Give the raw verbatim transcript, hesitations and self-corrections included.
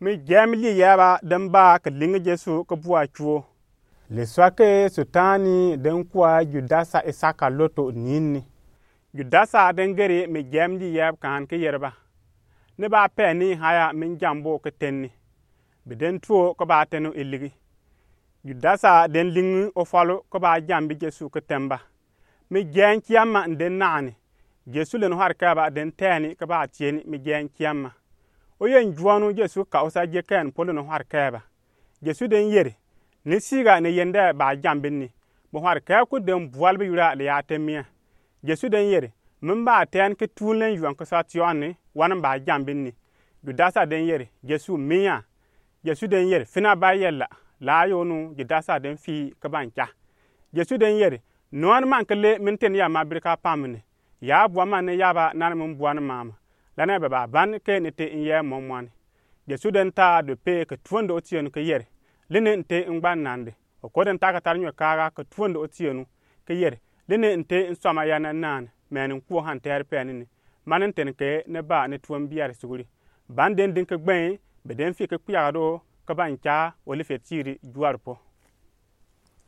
Mi jɛmli yɛɛba den ba ke linge Jesu ke bua cuo. Lesua ke Sultani den kua Judasa Iskariot ni ni. Judasa den geri mi jɛmli yɛɛb kaan ke yɛrba: Ni ba pɛ ni haya, min jam bo ke tenni. Bi den tuo ke ba tɛnu iligi. Judasa den lingi ofɔlu ke ba jambi Jesu ke tɛmba. Mi jɛɛn kiamma den naani. Jesu lɛ ni hɔrɛkɛba den tɛɛni ke ba tieni mi jɛɛn kiamma. Oyen juɔnu Jesu ka osa jekɛn polo ni hɔrɛkɛba. Jesu den yeri: Ni siga ni yende ba jambi ni. Bi hɔrɛkɛku den bual bi yura le ya tɛmia. Jesu den yeri: Min ba tɛɛn ke tuunle yuɔn ke sa tiɔni, wani ba jambi ni. Judasa den yeri: Jesu, mia. Jesu den yeri: Fina ba yɛla. La yonu Judasa den fii ke ban ca. Jesu den yeri: Nɔɔni man ke le min teni ya ma birika pamini. Ya bua man ni yaba nani min bua ni mama. Lani bɛ ba ban ke ni te in yɛ mɔmɔni. Jesu den taa dope ke tuondo otienu ke yeri: Lini n te in gba nandi. Oko den ta ke tari nyɔ kaaga ke tuondo otienu ke yeri: Lini n te in sɔma ya na nani, mɛni n kuo han tɛɛri pɛɛni ni. Mani n teni ke ni ba ni tuon biari suguri. Ban den din ke gbɛi, bɛ den fii ke kpiagado ke ban ca Olife tiiri juari po.